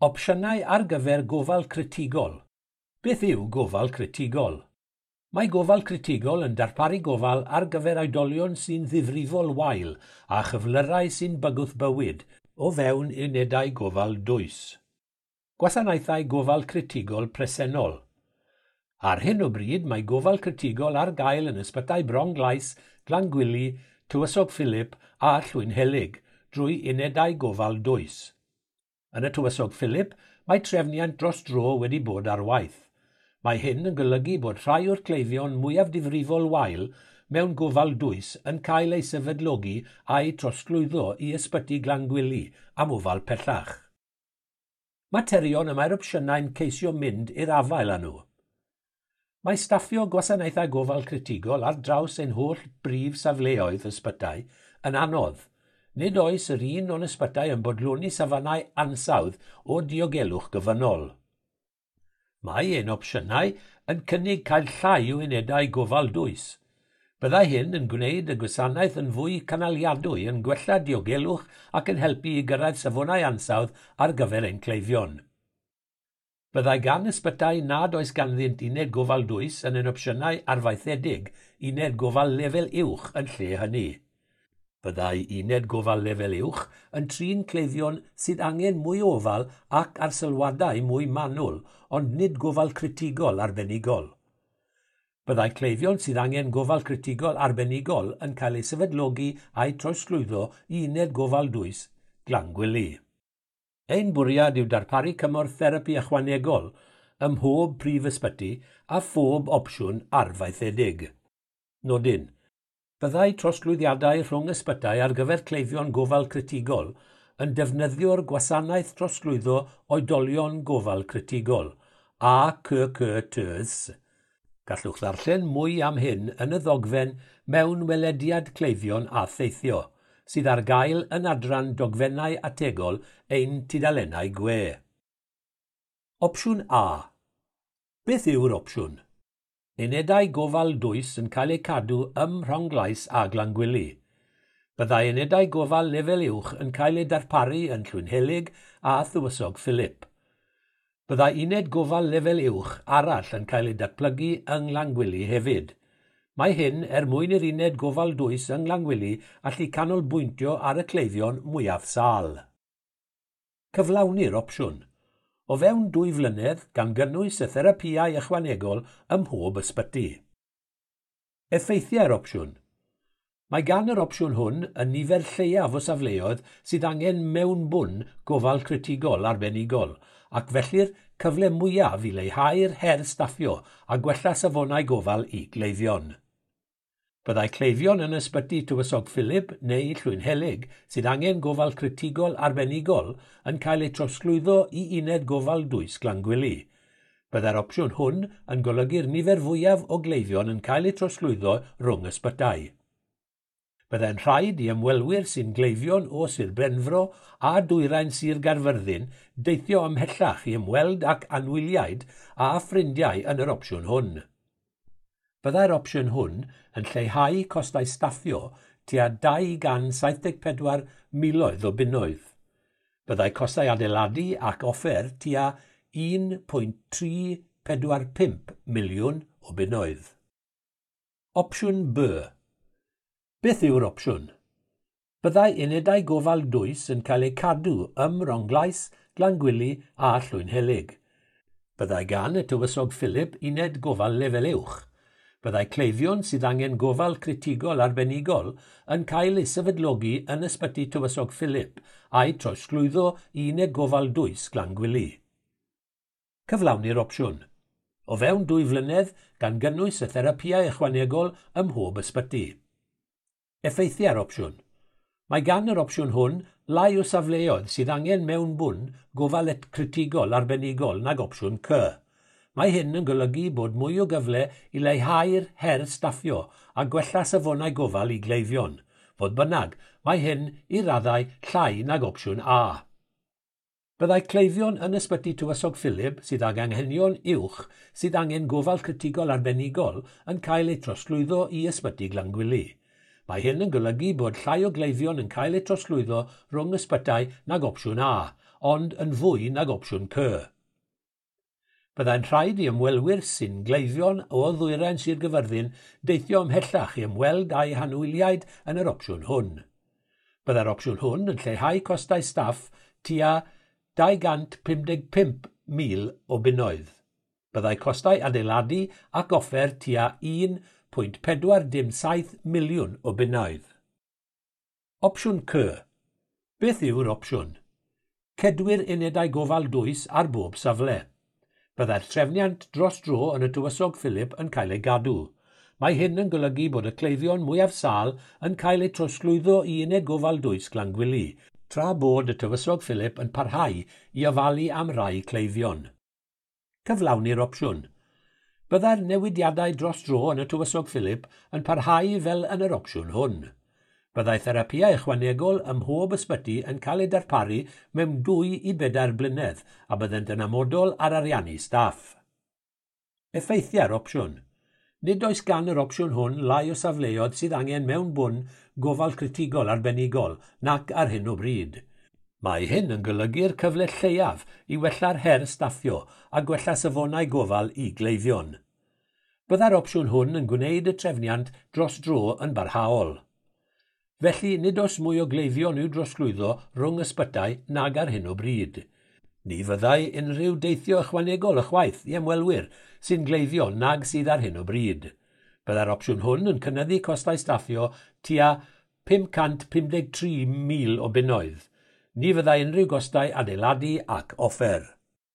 Opsiynau ar gyfer gofal critigol. Beth yw gofal critigol? Mae gofal critigol yn darparu gofal ar gyfer oedolion sy'n ddifrifol wael a chyflyrau sy'n bygwth bywyd o fewn unedau gofal dwys. Gwasanaethau gofal critigol presennol. Ar hyn o bryd mae gofal critigol ar gael yn ysbytai Bronglais, Glangwili, Tywysog Philip a Llwynhelyg drwy unedau gofal dwys. Yn y Tywysog Philip, mae trefniant dros dro wedi bod ar waith. Mae hyn yn golygu bod rhai o'r cleifion mwyaf difrifol wael mewn gofal dwys yn cael eu sefydlogi a'u trosglwyddo i ysbyty Glangwili am ofal pellach. Materion y mae'r opsiynau'n ceisio mynd i'r afael â nhw. Mae staffio gwasanaethau gofal critigol ar draws ein holl brif safleoedd ysbytai yn anodd. Nid oes yr un o'n ysbytai yn bodloni safonau ansawdd o diogelwch gofynnol. Mae ein opsiynau yn cynnig cael llai o unedau gofal dwys. Byddai hyn yn gwneud y gwasanaeth yn fwy cynaliadwy, yn gwella diogelwch ac yn helpu i gyrraedd safonau ansawdd ar gyfer ein cleifion. Byddai gan ysbytai nad oes ganddynt uned gofal dwys yn ein opsiynau arfaethedig uned gofal lefel uwch yn lle hynny. Byddai uned gofal lefel uwch yn trin cleifion sydd angen mwy o ofal ac arsylwadau mwy manwl, ond nid gofal critigol arbenigol. Byddai cleifion sydd angen gofal critigol arbenigol yn cael eu sefydlogi a'u trosglwyddo i uned gofal dwys Glangwili. Ein bwriad yw darparu cymorth therapi ychwanegol ym mhob prif ysbyty a phob opsiwn arfaethedig. Nodyn. Byddai trosglwyddiadau rhwng ysbytai ar gyfer cleifion gofal critigol yn defnyddio'r gwasanaeth trosglwyddo oedolion gofal critigol, ACCTs. Gallwch ddarllen mwy am hyn yn y ddogfen mewn welediad cleifion a theithio, sydd ar gael yn adran dogfennau ategol ein tudalennau gwe. Opsiwn A. Beth yw'r opsiwn? Unedau gofal dwys yn cael eu cadw ym Mhronglais a Glangwili. Byddai unedau gofal lefel uwch yn cael eu darparu yn Llwynhelyg a Thywysog Philip. Byddai uned gofal lefel uwch arall yn cael ei datblygu yng Nglangwili hefyd. Mae hyn er mwyn i'r uned gofal dwys yng Nglangwili allu canolbwyntio ar y cleifion mwyaf sâl. Cyflawni'r opsiwn. O fewn 2 flynedd, gan gynnwys y therapïau ychwanegol ym mhob ysbyty. Effeithiau'r opsiwn. Mae gan yr opsiwn hwn y nifer lleiaf o safleoedd sydd angen mewnbwn gofal critigol arbenigol, ac felly'r cyfle mwyaf i leihau'r her staffio a gwella safonau gofal i gleifion. Byddai cleifion yn ysbyty Tywysog Philip neu Llwynhelyg sydd angen gofal critigol arbenigol yn cael eu trosglwyddo i uned gofal dwys Glangwili. Byddai'r opsiwn hwn yn golygu'r nifer fwyaf o gleifion yn cael eu trosglwyddo rhwng ysbytai. Byddai'n rhaid i ymwelwyr sy'n gleifion o Sir Benfro a dwyrain Sir Gaerfyrddin deithio ymhellach i ymweld ac anwyliaid a ffrindiau yn yr opsiwn hwn. Byddai'r opsiwn hwn yn lleihau costau staffio tua 274 miloedd o bunnoedd. Byddai costau adeiladu ac offer tua 1.345 miliwn o bunnoedd. Opsiwn B. Beth yw'r opsiwn? Byddai unedau gofal dwys yn cael eu cadw ym Mronglais, Glangwili a Llwynhelyg. Byddai gan y Tywysog Philip uned gofal lefel uwch. Byddai cleifion sydd angen gofal critigol arbenigol yn cael eu sefydlogi yn ysbyty Tywysog Philip a'u trosglwyddo i uned gofal dwys Glangwili. Cyflawni'r opsiwn. O fewn 2 flynedd, gan gynnwys y therapïau ychwanegol ym mhob ysbyty. Effeithiau'r opsiwn. Mae gan yr opsiwn hwn lai o safleoedd sydd angen mewnbwn gofal critigol arbenigol nag opsiwn C. Mae hyn yn golygu bod mwy o gyfle i leihau'r her staffio a gwella safonau gofal i gleifion. Fodd bynnag, mae hyn i raddau llai nag opsiwn A. Byddai cleifion yn ysbyty Tywysog Philip sydd ag anghenion uwch sydd angen gofal critigol arbenigol yn cael eu trosglwyddo i ysbyty Glangwili. Mae hyn yn golygu bod llai o gleifion yn cael eu trosglwyddo rhwng ysbytai nag opsiwn A, ond yn fwy nag opsiwn C. Byddai'n rhaid i ymwelwyr sy'n gleifion o ddwyrain Sir Gyfyrddin deithio ymhellach i ymweld â'u hanwyliaid yn yr opsiwn hwn. Byddai'r opsiwn hwn yn lleihau costau staff tua 255,000 o bunnoedd. Byddai costau adeiladu ac offer tua 1.47 miliwn o bunnoedd. Opsiwn C. Beth yw'r opsiwn? Cedwir unedau gofal dwys ar bob safle. Byddai'r trefniant dros dro yn y Tywysog Philip yn cael ei gadw. Mae hyn yn golygu bod y cleifion mwyaf sâl yn cael eu trosglwyddo i uned gofal dwys Glangwili, tra bod y Tywysog Philip yn parhau i ofalu am rai cleifion. Cyflawni'r opsiwn. Byddai'r newidiadau dros dro yn y Tywysog Philip yn parhau fel yn yr opsiwn hwn. Byddai therapïau ychwanegol ym mhob ysbyty yn cael eu darparu mewn 2 i 4 blynedd a byddent yn amodol ar ariannu staff. Effeithiau'r opsiwn. Nid oes gan yr opsiwn hwn lai o safleoedd sydd angen mewnbwn gofal critigol arbenigol nac ar hyn o bryd. Mae hyn yn golygu'r cyfle lleiaf i wella'r her staffio a gwella safonau gofal i gleifion. Byddai'r opsiwn hwn yn gwneud y trefniant dros dro yn barhaol. Felly, nid oes mwy o gleifion i'w drosglwyddo rhwng ysbytai nag ar hyn o bryd. Ni fyddai unrhyw deithio ychwanegol ychwaith i ymwelwyr sy'n gleifion nag sydd ar hyn o bryd. Byddai'r opsiwn hwn yn cynyddu costau staffio tua 553,000 o bunnoedd. Ni fyddai unrhyw gostau adeiladu ac offer.